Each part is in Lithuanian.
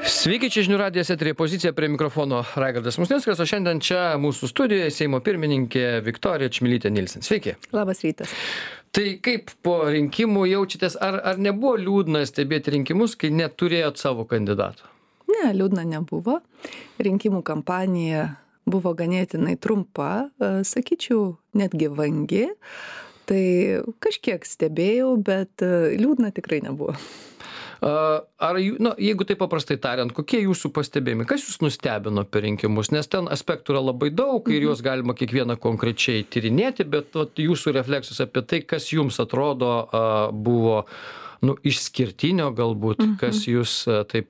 Sveiki, čia žinių radijas eteryje Pozicija, prie mikrofono Raigardas Musnickas, o šiandien čia mūsų studijoje Seimo pirmininkė Viktorija Čmilytė Nilsen. Sveiki. Labas rytas. Tai kaip po rinkimų jaučiatės, ar nebuvo liūdna stebėti rinkimus, kai neturėjot savo kandidato? Ne, liūdna nebuvo. Rinkimų kampanija buvo ganėtinai trumpa, sakyčiau, netgi vangi. Tai kažkiek stebėjau, bet liūdna tikrai nebuvo. Jeigu taip paprastai tariant, kokie jūsų pastebėjimai, kas jūs nustebino per rinkimus, nes ten aspektų yra labai daug ir juos galima kiekvieną konkrečiai tyrinėti, bet jūsų refleksus apie tai, kas jums atrodo buvo išskirtinio galbūt, kas jūs taip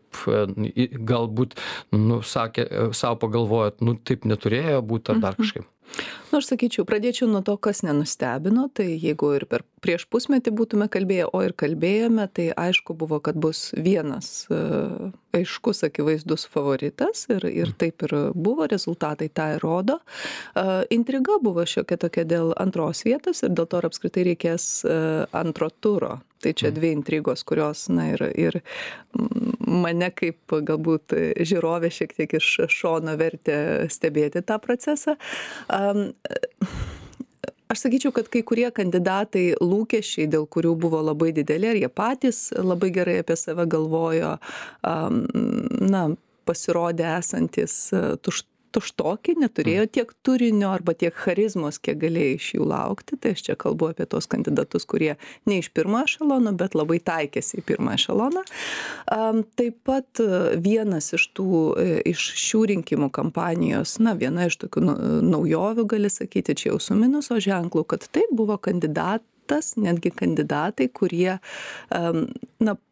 galbūt sakė, savo pagalvojot, taip neturėjo būti ar dar kažkaip. Aš sakyčiau, pradėčiau nuo to, kas nenustebino, tai jeigu ir prieš pusmetį būtume kalbėję, o ir kalbėjome, tai aišku buvo, kad bus vienas aiškus, akivaizdus favoritas ir taip ir buvo, rezultatai tą ir rodo. Intriga buvo šiokia tokia dėl antros vietos ir dėl to ar apskritai reikės antro turo. Tai čia dvi intrigos, kurios ir mane kaip galbūt žiūrovė šiek tiek iš šono vertė stebėti tą procesą. Aš sakyčiau, kad kai kurie kandidatai lūkesčiai, dėl kurių buvo labai dideli, ar jie patys labai gerai apie save galvojo, pasirodė esantis tuštoki, neturėjo tiek turinio arba tiek charizmos, kiek galėjo iš jų laukti. Tai aš čia kalbu apie tos kandidatus, kurie ne iš pirmo ešelono, bet labai taikėsi į pirmą ešeloną. Taip pat vienas iš šių rinkimų kampanijos, viena iš tokių naujovių, gali sakyti, čia jau su minuso ženklu, kad tai buvo kandidatas, netgi kandidatai, kurie,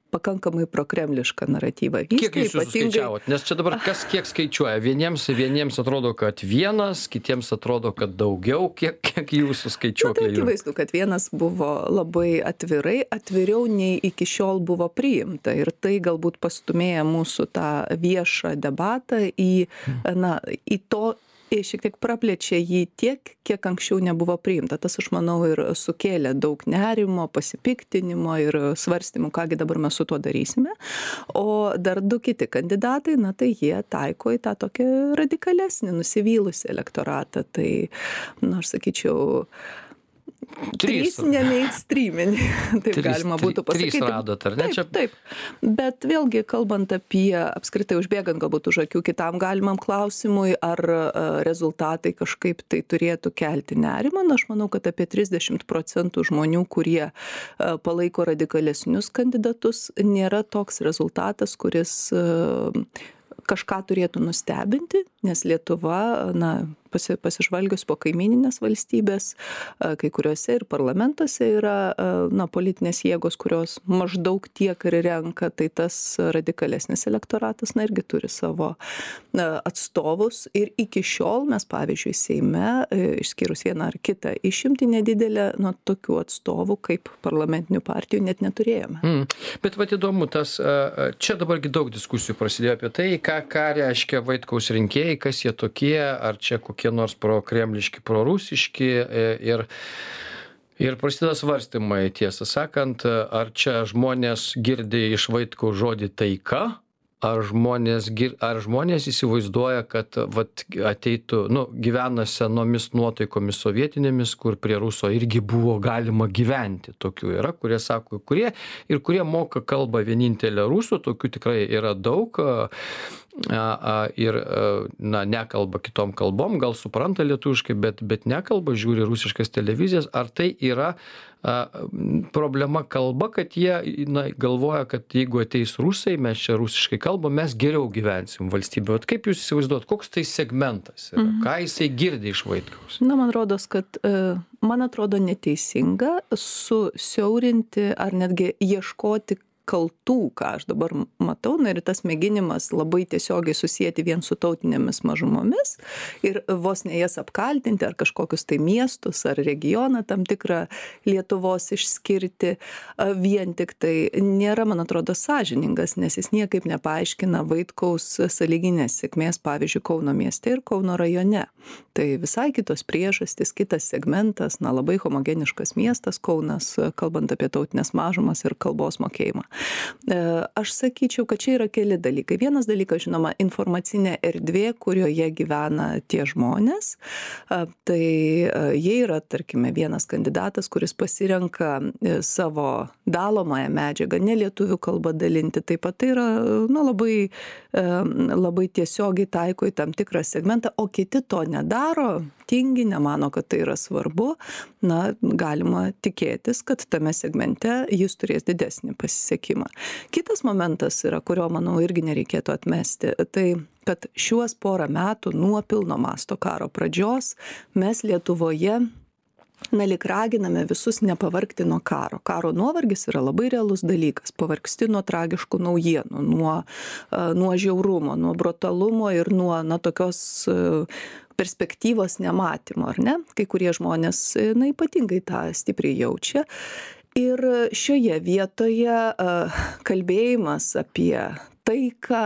pakankamai prokremlišką naratyvą vystė. Kiek jūs suskaičiavot? Nes čia dabar kas kiek skaičiuoja? Vieniems atrodo, kad vienas, kitiems atrodo, kad daugiau. Kiek jūsų skaičiuoklė? Tai akivaizdu, kad vienas buvo labai atviriau nei iki šiol buvo priimta. Ir tai galbūt pastumėja mūsų tą viešą debatą į to, šiek tiek praplečia jį tiek, kiek anksčiau nebuvo priimta. Tas, aš manau, ir sukėlė daug nerimo, pasipiktinimo ir svarstymų, kągi dabar mes su tuo darysime. O dar du kiti kandidatai, tai jie taiko į tą tokį radikalesnį, nusivylusį elektoratą. Tai, aš sakyčiau, trys nemainstreaminį, taip galima būtų pasakyti. Trys radot, ar ne? Taip. Bet vėlgi, kalbant apie, apskritai užbėgant galbūt už akių kitam galimam klausimui, ar rezultatai kažkaip tai turėtų kelti nerimą, aš manau, kad apie 30% žmonių, kurie palaiko radikalesnius kandidatus, nėra toks rezultatas, kuris kažką turėtų nustebinti, nes Lietuva, pasižvalgius po kaimyninės valstybės, kai kuriuose ir parlamentuose yra politinės jėgos, kurios maždaug tiek ir renka, tai tas radikalesnis elektoratas irgi turi savo atstovus. Ir iki šiol mes, pavyzdžiui, Seime, išskyrus vieną ar kitą išimtį nedidelę, tokių atstovų kaip parlamentinių partijų net neturėjome. Bet įdomu, čia dabargi daug diskusijų prasidėjo apie tai, ką reiškia Vaitkaus rinkėjai, kas jie tokie, ar čia kokie nors prokremliški, prorusiški ir prasideda svarstymai, tiesą sakant, ar čia žmonės girdi iš Vaitkaus žodį taika, ar žmonės įsivaizduoja, kad ateitų, gyvena senomis nuotaikomis sovietinėmis, kur prie ruso irgi buvo galima gyventi. Tokių yra, kurie sako, kurie moka kalbą vienintelę rusų, tokių tikrai yra daug. Ir nekalba kitom kalbom, gal supranta lietuviškai, bet nekalba, žiūri rusiškas televizijas. Ar tai yra problema kalba, kad jie galvoja, kad jeigu ateis rusai, mes čia rusiškai kalbam, mes geriau gyvensim valstybėje. Kaip jūs įsivaizduot, koks tai segmentas yra? Ką jisai girdi iš Vaitkaus? Man atrodo neteisinga susiaurinti ar netgi ieškoti kaltų, ką aš dabar matau, ir tas mėginimas labai tiesiogiai susijęti vien su tautinėmis mažumomis ir vos ne jas apkaltinti ar kažkokius tai miestus ar regioną tam tikrą Lietuvos išskirti vien tik tai nėra, man atrodo, sąžiningas, nes jis niekaip nepaaiškina Vaitkaus sąlyginės sėkmės, pavyzdžiui, Kauno mieste ir Kauno rajone. Tai visai kitos priežastys, kitas segmentas, labai homogeniškas miestas Kaunas, kalbant apie tautinės mažumas ir kalbos mokėjimą. Aš sakyčiau, kad čia yra keli dalykai. Vienas dalykas, žinoma, informacinė erdvė, kurioje gyvena tie žmonės. Tai jie yra, tarkime, vienas kandidatas, kuris pasirenka savo dalomąją medžiagą, ne lietuvių kalbą dalinti. Taip pat tai yra labai tiesiogiai taiko į tam tikrą segmentą, o kiti to nedaro, tingi, nemano, kad tai yra svarbu. Galima tikėtis, kad tame segmente jis turės didesnį pasisekimą. Kitas momentas yra, kurio, manau, irgi nereikėtų atmesti, tai kad šiuos porą metų nuo pilno masto karo pradžios mes Lietuvoje lyg raginame visus nepavargti nuo karo. Karo nuovargis yra labai realus dalykas. Pavargsti nuo tragiškų naujienų, nuo žiaurumo, nuo brutalumo ir nuo tokios perspektyvos nematymo, ar ne? Kai kurie žmonės ypatingai tą stipriai jaučia. Ir šioje vietoje kalbėjimas apie taiką,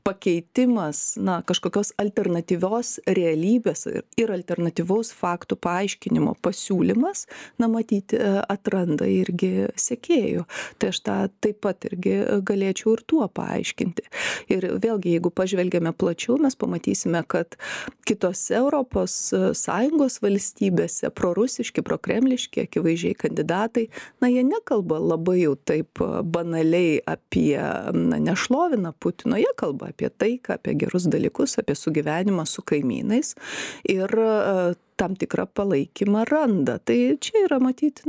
pakeitimas, kažkokios alternatyvios realybės ir alternatyvaus faktų paaiškinimo pasiūlymas, matyti, atranda irgi sekėjų. Tai aš tą taip pat irgi galėčiau ir tuo paaiškinti. Ir vėlgi, jeigu pažvelgiame plačiau, mes pamatysime, kad kitose ES valstybėse prorusiški, prokremliški, akivaizdžiai kandidatai, jie nekalba labai jau taip banaliai apie, nešlovina Putino, jie kalba apie taiką, apie gerus dalykus, apie sugyvenimą su kaimynais ir tam tikrą palaikymą randa. Tai čia yra matyti,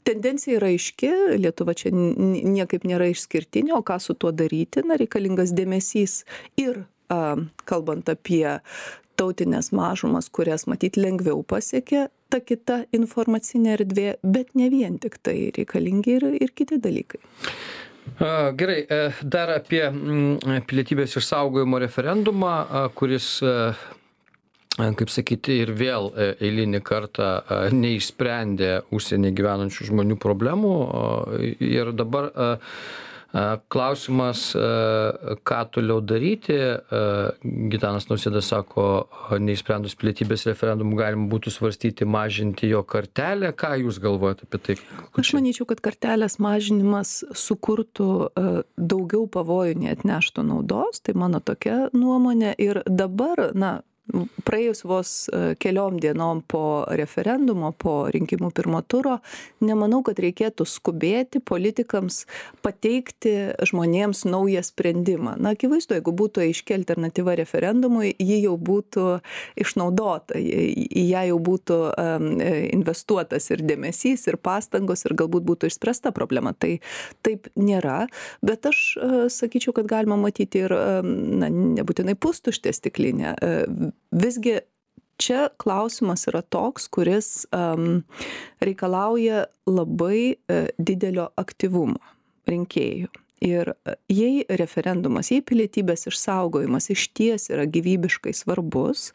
tendencija yra aiški, Lietuva čia niekaip nėra išskirtinė, o ką su tuo daryti, reikalingas dėmesys ir kalbant apie tautinės mažumas, kurias matyti lengviau pasiekia ta kita informacinė erdvė, bet ne vien tik tai, reikalingi ir kiti dalykai. Gerai, dar apie pilietybės išsaugojimo referendumą, kuris, kaip sakyti, ir vėl eilinį kartą neišsprendė užsienį gyvenančių žmonių problemų. Ir dabar klausimas, ką toliau daryti. Gitanas Nausėda sako, neišsprendus pilietybės referendumų galima būtų svarstyti mažinti jo kartelę. Ką jūs galvojate apie tai? Aš manyčiau, kad kartelės mažinimas sukurtų daugiau pavojų, nei atneštų naudos. Tai mano tokia nuomonė. Ir dabar, praėjus vos keliom dienom po referendumo, po rinkimų pirmo turo, nemanau, kad reikėtų skubėti politikams pateikti žmonėms naują sprendimą. Akivaizdu, jeigu būtų aiški alternatyva referendumui, ji jau būtų išnaudota, į ją jau būtų investuotas ir dėmesys, ir pastangos, ir galbūt būtų išspręsta problema. Tai taip nėra, bet aš sakyčiau, kad galima matyti ir nebūtinai pustuštę stiklinę. Visgi čia klausimas yra toks, kuris reikalauja labai didelio aktyvumo rinkėjų. Ir jei referendumas, jei pilietybės išsaugojimas išties yra gyvybiškai svarbus,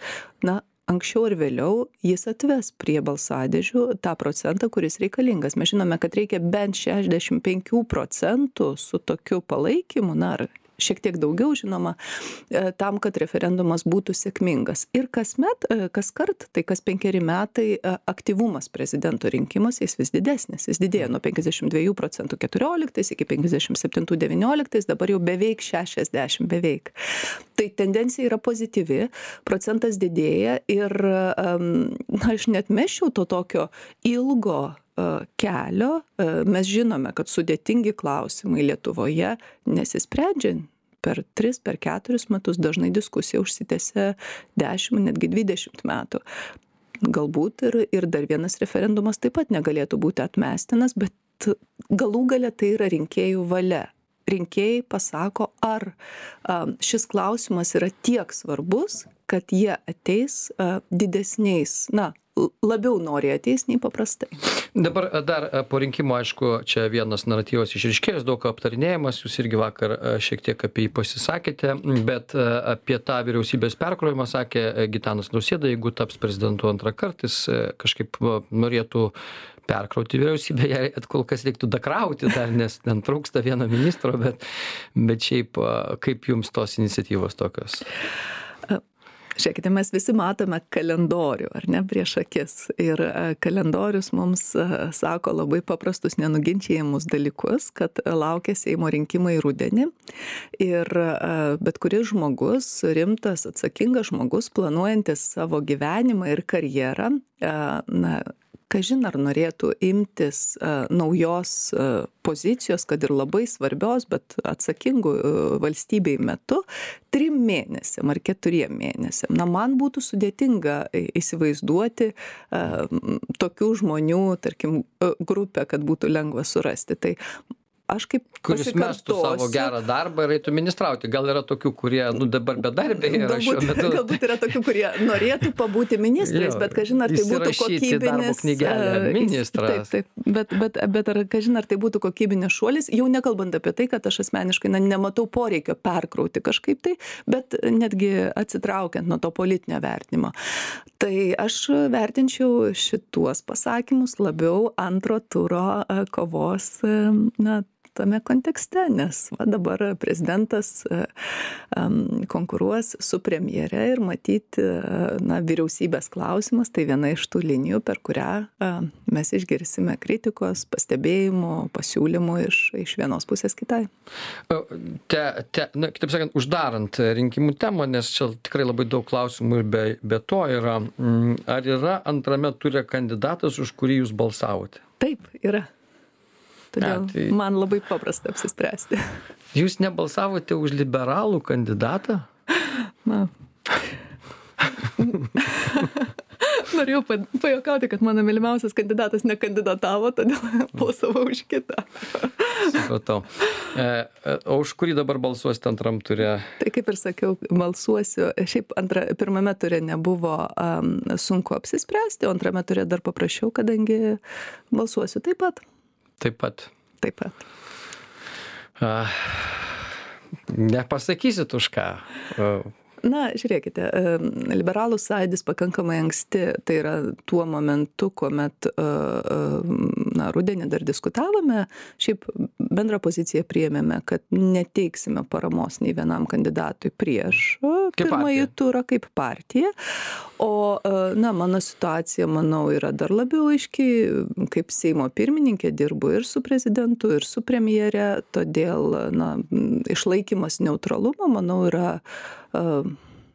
anksčiau ir vėliau jis atves prie balsadėžių tą procentą, kuris reikalingas. Mes žinome, kad reikia bent 65% su tokiu palaikymu, ar šiek tiek daugiau, žinoma, tam, kad referendumas būtų sėkmingas. Ir kaskart, tai kas 5 metai aktyvumas prezidento rinkimuose, jis vis didesnis. Jis didėjo nuo 52% 14 iki 57 19, dabar jau beveik 60, beveik. Tai tendencija yra pozityvi, procentas didėja ir aš net mesčiau to tokio ilgo kelio. Mes žinome, kad sudėtingi klausimai Lietuvoje nesisprendžia per 3, per 4 metus, dažnai diskusija užsitęsia 10, netgi 20 metų. Galbūt ir dar vienas referendumas taip pat negalėtų būti atmestinas, bet galų gale tai yra rinkėjų valia. Rinkėjai pasako, ar šis klausimas yra tiek svarbus, kad jie ateis didesniais, labiau nori ateis nei paprastai. Dabar dar po rinkimų, aišku, čia vienas naratyvas išryškėjęs, daug aptarinėjimas, jūs irgi vakar šiek tiek apie jį pasisakėte, bet apie tą vyriausybės perkrojimą sakė Gitanas Nausėda, jeigu taps prezidentu antrą kartą, jis kažkaip norėtų perkrauti vyriausybę, ją kol kas reiktų dakrauti dar, nes ten trūksta vieno ministro, bet šiaip kaip jums tos iniciatyvos tokios? Žiūrėkite, mes visi matome kalendorių, ar ne, prieš akis. Ir kalendorius mums sako labai paprastus nenuginčiamus dalykus, kad laukia Seimo rinkimai rudenį. Ir bet kuris žmogus, rimtas, atsakingas žmogus, planuojantis savo gyvenimą ir karjerą, kažin ar norėtų imtis naujos pozicijos, kad ir labai svarbios, bet atsakingų valstybei metu 3 mėnesiam ar 4 mėnesiam. Man būtų sudėtinga įsivaizduoti tokių žmonių, tarkim, grupę, kad būtų lengva surasti. Tai aš kaip kuris mestų savo gerą darbą ir eitų ministrauti. Gal yra tokių, kurie dabar bedarbiai yra šiuo metu. Galbūt yra tokių, kurie norėtų pabūti ministrais, bet kažin ar tai būtų kokybinis ministras. Taip, bet kažin ar tai būtų kokybinis šuolis, jau nekalbant apie tai, kad aš asmeniškai nematau poreikio perkrauti kažkaip tai, bet netgi atsitraukiant nuo to politinio vertinimo. Tai aš vertinčiau šituos pasakymus labiau antro turo kovos tame kontekste, nes dabar prezidentas konkuruos su premjere ir matyti vyriausybės klausimas, tai viena iš tų linijų, per kurią mes išgirsime kritikos, pastebėjimų, pasiūlymų iš vienos pusės kitai. Kitaip sakant, uždarant rinkimų temą, nes čia tikrai labai daug klausimų ir be to yra, ar yra antrame ture kandidatas, už kurį jūs balsavote? Taip, yra. Todėl man labai paprasta apsispręsti. Jūs nebalsavote už liberalų kandidatą? Norėjau pajuokauti, kad mano mylimiausias kandidatas nekandidatavo, todėl balsavau už kitą. Supratau. O už kurį dabar balsuosite antram ture? Tai kaip ir sakiau, balsuosiu. Šiaip pirmame ture nebuvo sunku apsispręsti, o antrame ture dar paprašiau, kadangi balsuosiu taip pat. Taip pat. Taip pat. Nepasakysit už ką? Žiūrėkite, liberalų sąjūdis pakankamai anksti, tai yra tuo momentu, kuomet rudenį dar diskutavome, šiaip bendrą poziciją priėmėme, kad neteiksime paramos nei vienam kandidatui prieš pirmąjį turą kaip partija. O mano situacija, manau, yra dar labiau aiški, kaip Seimo pirmininkė dirbu ir su prezidentu, ir su premjere, todėl išlaikymas neutralumo, manau, yra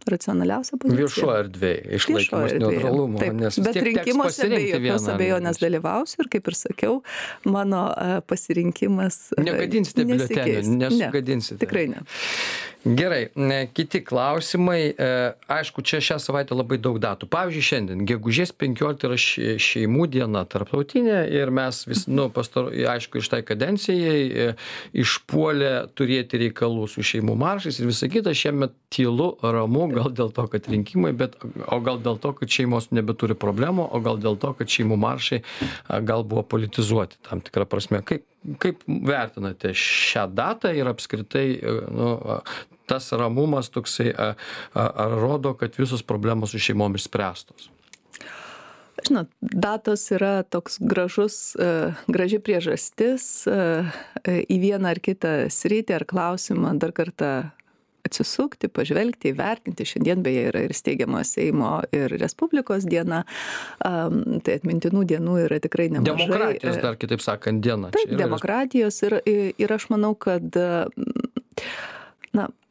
racionaliausia pozicija. Viešo erdvėje išlaikymas neutralumo. Taip, bet rinkimuose be jokios abejonės dalyvausiu ir kaip ir sakiau, mano pasirinkimas negadinsite biuletenių, nesugadinsite. Tikrai ne. Gerai, kiti klausimai. Aišku, čia šią savaitę labai daug datų. Pavyzdžiui, šiandien, gegužės 15 yra šeimų diena tarptautinė ir mes vis, aišku, iš tai kadencijai išpuolė turėti reikalų su šeimų maršais ir visą kitą. Šiemet tylu, ramu, gal dėl to, kad rinkimai, o gal dėl to, kad šeimos nebeturi problemų, o gal dėl to, kad šeimų maršai gal buvo politizuoti tam tikrą prasme. Kaip vertinate šią datą ir apskritai tas ramumas toksai ar rodo, kad visos problemos su šeimom išspręstos? Žinot, datos yra toks graži priežastis į vieną ar kitą sritį ar klausimą dar kartą atsisukti, pažvelgti, įvertinti. Šiandien beje yra ir steigiamo Seimo ir Respublikos diena. Tai atmintinų dienų yra tikrai nemažai. Demokratijos dar kitaip sakant diena. Taip, demokratijos ir aš manau, kad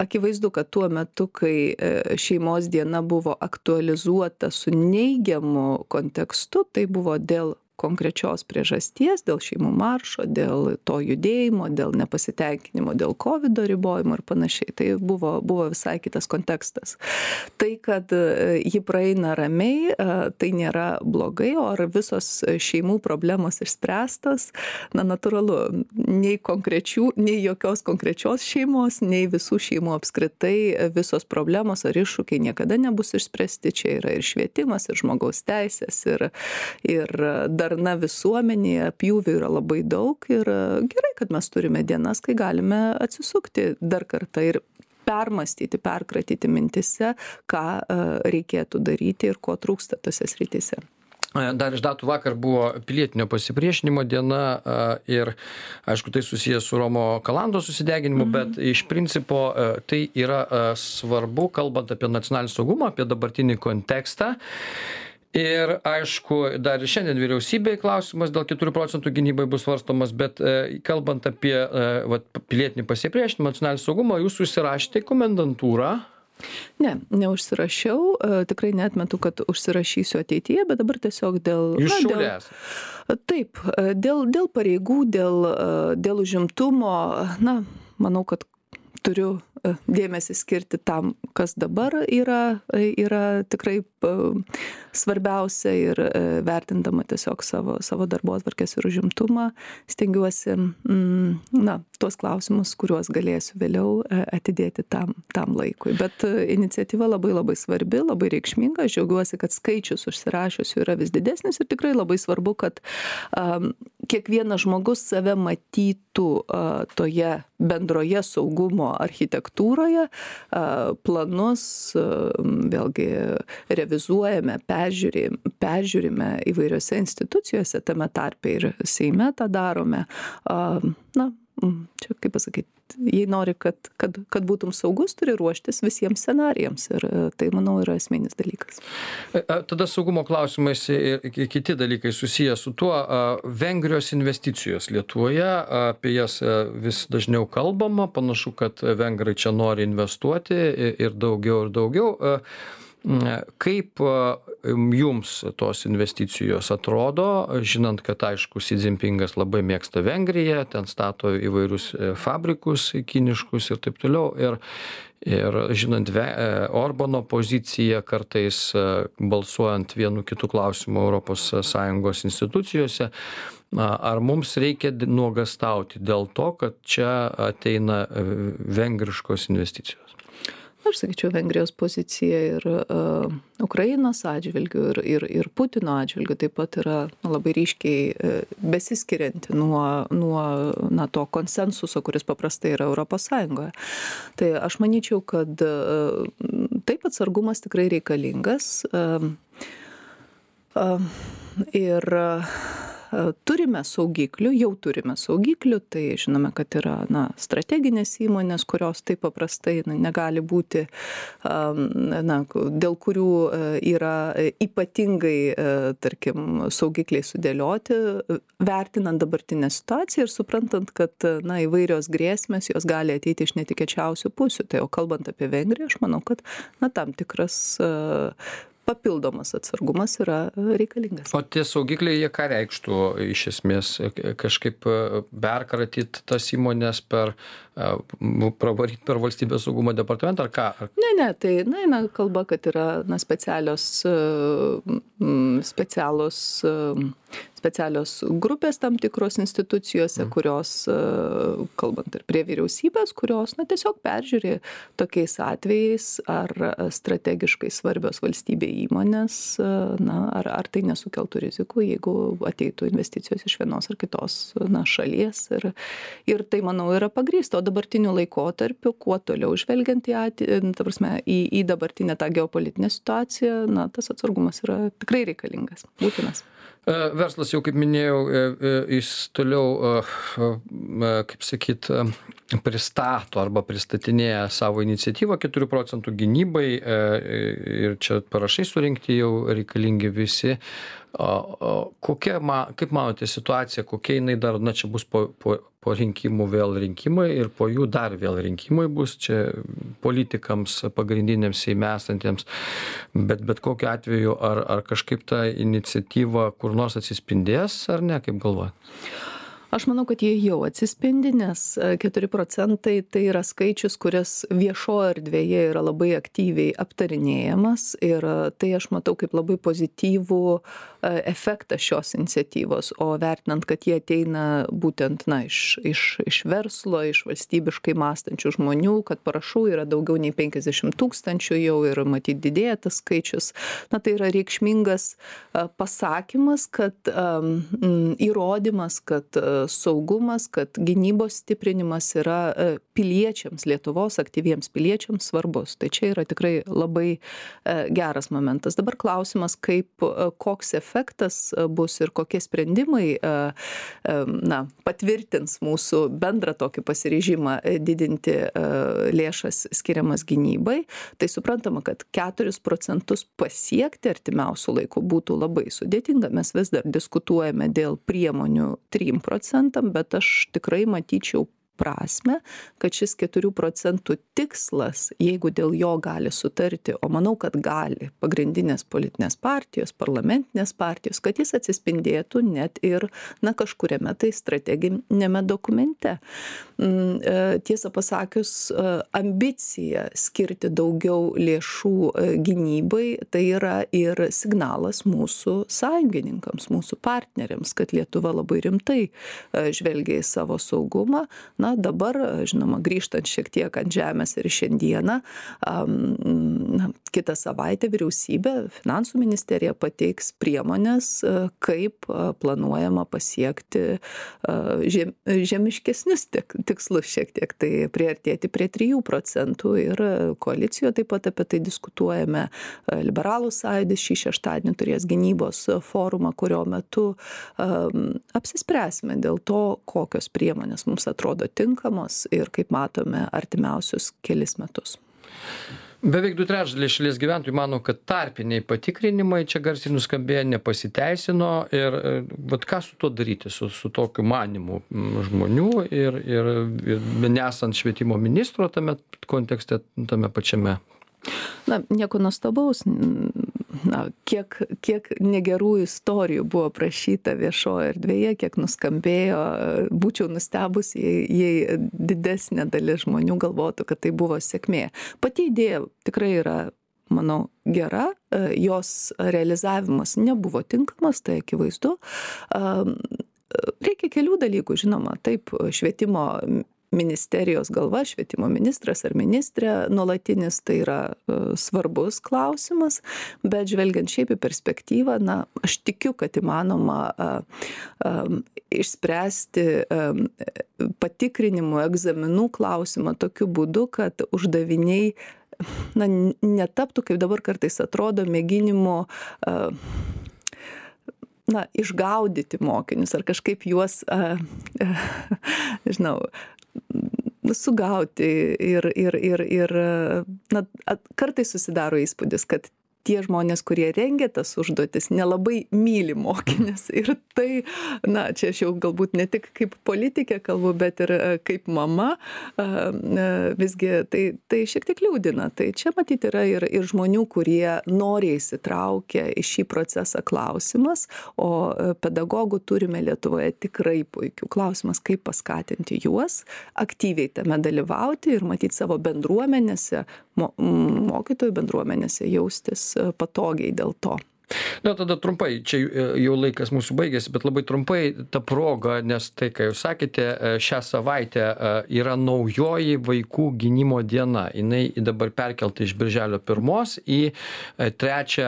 akivaizdu, kad tuo metu, kai šeimos diena buvo aktualizuota su neigiamu kontekstu, tai buvo dėl konkrečios priežasties, dėl šeimų maršo, dėl to judėjimo, dėl nepasitenkinimo, dėl COVID ribojimo ir panašiai. Tai buvo visai kitas kontekstas. Tai, kad ji praeina ramiai, tai nėra blogai, o ar visos šeimų problemos išspręstos, natūralu, nei jokios konkrečios šeimos, nei visų šeimų apskritai visos problemos ar iššūkiai niekada nebus išspręsti. Čia yra ir švietimas, ir žmogaus teisės, ir darna visuomenėje, pjūvių yra labai daug ir gerai, kad mes turime dienas, kai galime atsisukti dar kartą ir permastyti, perkratyti mintise, ką reikėtų daryti ir ko trūksta tose srityse. Dar iš datų vakar buvo pilietinio pasipriešinimo diena ir, aišku, tai susijęs su Romo Kalandos susideginimu, bet iš principo tai yra svarbu, kalbant apie nacionalinį saugumą, apie dabartinį kontekstą. Ir, aišku, dar ir šiandien vyriausybėje klausimas dėl 4 procentų gynybai bus svarstomas, bet kalbant apie pilietinį pasipriešinimą, nacionalinį saugumą, jūs užsirašėte į komendantūrą. Ne, neužsirašiau, tikrai neatmetu, kad užsirašysiu ateityje, bet dabar tiesiog dėl... Jūs Šiauliai. Taip, dėl pareigų, dėl užimtumo, manau, kad turiu dėmesį skirti tam, kas dabar yra tikrai svarbiausia ir vertindama tiesiog savo darbotvarkės ir užimtumą, stengiuosi tuos klausimus, kuriuos galėsiu vėliau atidėti tam laikui. Bet iniciatyva labai labai svarbi, labai reikšminga. Aš džiaugiuosi, kad skaičius užsirašiusių yra vis didesnis ir tikrai labai svarbu, kad kiekvienas žmogus save matytų toje bendroje saugumo architektūroje, planus vėlgi revizuojame, peržiūrime įvairiose institucijose, tame tarpe ir Seime tą darome. Čia kaip pasakyti, jei nori, kad būtum saugus, turi ruoštis visiems scenarijams ir tai, manau, yra esminis dalykas. Tada saugumo klausimais ir kiti dalykai susiję su tuo, Vengrijos investicijos Lietuvoje, apie jas vis dažniau kalbama, panašu, kad vengrai čia nori investuoti ir daugiau. Kaip jums tos investicijos atrodo, žinant, kad aišku, Xi Jinpingas labai mėgsta Vengriją, ten stato įvairius fabrikus kiniškus ir taip toliau, ir žinant Orbano poziciją kartais balsuojant vienu kitu klausimu ES institucijose, ar mums reikia nuogąstauti dėl to, kad čia ateina vengriškos investicijos? Aš sakyčiau, Vengrijos pozicija ir Ukrainos atžvilgių ir Putino atžvilgių taip pat yra labai ryškiai besiskirianti nuo to konsensuso, kuris paprastai yra Europos Sąjungoje. Tai aš manyčiau, kad taip atsargumas tikrai reikalingas ir turime saugiklių, jau turime saugiklių, tai žinome, kad yra strateginės įmonės, kurios taip paprastai negali būti, dėl kurių yra ypatingai, tarkim, saugikliai sudėlioti, vertinant dabartinę situaciją ir suprantant, kad įvairios grėsmės jos gali ateiti iš netikėčiausių pusių. Tai jau kalbant apie Vengriją, aš manau, kad tam tikras papildomas atsargumas yra reikalingas. O tie saugikliai, jie ką reikštų iš esmės? Kažkaip perkratyt tas įmonės pravaryti per valstybės saugumo departamentą ar ką? Ne, tai eina kalba, kad yra specialios grupės tam tikros institucijose, kurios, kalbant ir prie vyriausybės, kurios tiesiog peržiūri tokiais atvejais, ar strategiškai svarbios valstybė įmonės, ar tai nesukeltų rizikų, jeigu ateitų investicijos iš vienos ar kitos šalies. Ir tai, manau, yra pagrįsta. O dabartiniu laikotarpiu, kuo toliau žvelgiant į dabartinę tą geopolitinę situaciją, tas atsargumas yra tikrai reikalingas, būtinas. Verslas jau, kaip minėjau, jis toliau, kaip sakyt, pristato arba pristatinėja savo iniciatyvą 4 procentų gynybai ir čia parašai surinkti jau reikalingi visi. Kaip manote situacija, kokia jinai dar, čia bus po rinkimų vėl rinkimai ir po jų dar vėl rinkimai bus čia politikams pagrindiniams Seime esantiems, bet kokiu atveju ar kažkaip ta iniciatyva kur nors atsispindės ar ne, kaip galvojat? Aš manau, kad jie jau atsispindi, nes 4 procentai tai yra skaičius, kuris viešoje erdvėje yra labai aktyviai aptarinėjamas ir tai aš matau kaip labai pozityvų efektą šios iniciatyvos, o vertinant, kad jie ateina būtent iš verslo, iš valstybiškai mąstančių žmonių, kad parašų yra daugiau nei 50 000 jau ir matyt didėja tas skaičius, tai yra reikšmingas pasakymas, kad įrodymas, kad saugumas, kad gynybos stiprinimas yra piliečiams, Lietuvos aktyviems piliečiams svarbus. Tai čia yra tikrai labai geras momentas. Dabar klausimas, koks efektas bus ir kokie sprendimai patvirtins mūsų bendrą tokį pasiryžimą didinti lėšas skiriamas gynybai. Tai suprantama, kad 4% pasiekti artimiausių laikų būtų labai sudėtinga. Mes vis dar diskutuojame dėl priemonių 3%, bet aš tikrai matyčiau prasme, kad šis 4% tikslas, jeigu dėl jo gali sutarti, o manau, kad gali pagrindinės politinės partijos, parlamentinės partijos, kad jis atsispindėtų net ir kažkuriame tai strateginėme dokumente. Tiesą pasakius, ambicija skirti daugiau lėšų gynybai, tai yra ir signalas mūsų sąjungininkams, mūsų partneriams, kad Lietuva labai rimtai žvelgia į savo saugumą. Dabar, žinoma, grįžtant šiek tiek ant žemės ir šiandieną, kitą savaitę vyriausybė, finansų ministerija pateiks priemonės, kaip planuojama pasiekti žemiškesnius tikslus šiek tiek, tai priartėti prie 3%. Ir koalicijoje taip pat apie tai diskutuojame. Liberalų sąjūdis šį šeštadienį turės gynybos forumą, kurio metu apsispręsime dėl to, kokios priemonės mums atrodo tinkamos ir, kaip matome, artimiausius kelis metus. Beveik 2/3 šalies gyventojų mano, kad tarpiniai patikrinimai čia garsiai nuskambėjo, nepasiteisino ir ką su tuo daryti, su tokiu manimu žmonių ir nesant švietimo ministro tame kontekste, tame pačiame. Nieko nuostabaus. Kiek negerų istorijų buvo prašyta viešoje erdvėje, kiek nuskambėjo, būčiau nustebus, jei didesnė dalis žmonių galvotų, kad tai buvo sėkmė. Pati idėja tikrai yra, manau, gera, jos realizavimas nebuvo tinkamas, tai akivaizdu. Reikia kelių dalykų, žinoma, taip, švietimo ministerijos galva, švietimo ministras ar ministrė nuolatinis, tai yra svarbus klausimas, bet žvelgiant šiaip į perspektyvą, aš tikiu, kad įmanoma išspręsti patikrinimų, egzaminų klausimą tokiu būdu, kad uždaviniai netaptų, kaip dabar kartais atrodo, mėginimu išgaudyti mokinius ar kažkaip juos, sugauti ir kartais susidaro įspūdis, kad tie žmonės, kurie rengia tas užduotis, nelabai myli mokinius. Ir tai, čia aš jau galbūt ne tik kaip politikė kalbu, bet ir kaip mama, visgi tai šiek tiek liūdina. Tai čia matyti yra ir žmonių, kurie noriai įsitraukia į šį procesą klausimas, o pedagogų turime Lietuvoje tikrai puikių. Klausimas, kaip paskatinti juos aktyviai tame dalyvauti ir matyti savo bendruomenėse, mokytojų bendruomenėse jaustis patogiai dėl to. Tada trumpai, čia jau laikas mūsų baigėsi, bet labai trumpai ta proga, nes tai, ką jūs sakėte, šią savaitę yra naujoji vaikų gynimo diena. Jinai dabar perkelta iš birželio 1 į 3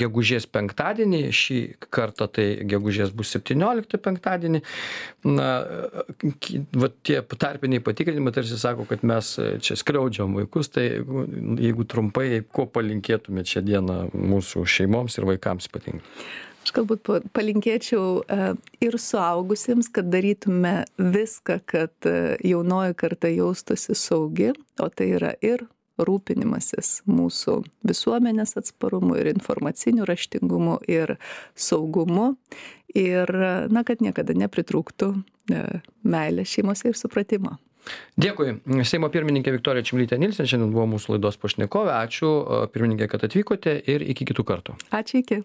gegužės penktadienį. Šį kartą tai gegužės bus 17 penktadienį. Tie tarpiniai patikrinimai tarsi sako, kad mes čia skriaudžiam vaikus, tai jeigu trumpai, ko palinkėtumėte šią dieną mūsų šeimoms ir vaikams ypatingai? Aš galbūt palinkėčiau ir suaugusiems, kad darytume viską, kad jaunoji karta jaustųsi saugi, o tai yra ir rūpinimasis mūsų visuomenės atsparumu, ir informaciniu raštingumu, ir saugumu, ir kad niekada nepritrūktų meilės šeimose ir supratimo. Dėkui. Seimo pirmininkė Viktorija Čmilytė Nilsen šiandien buvo mūsų laidos pašnekovė. Ačiū, pirmininkė, kad atvykote ir iki kitų kartų. Ačiū, iki.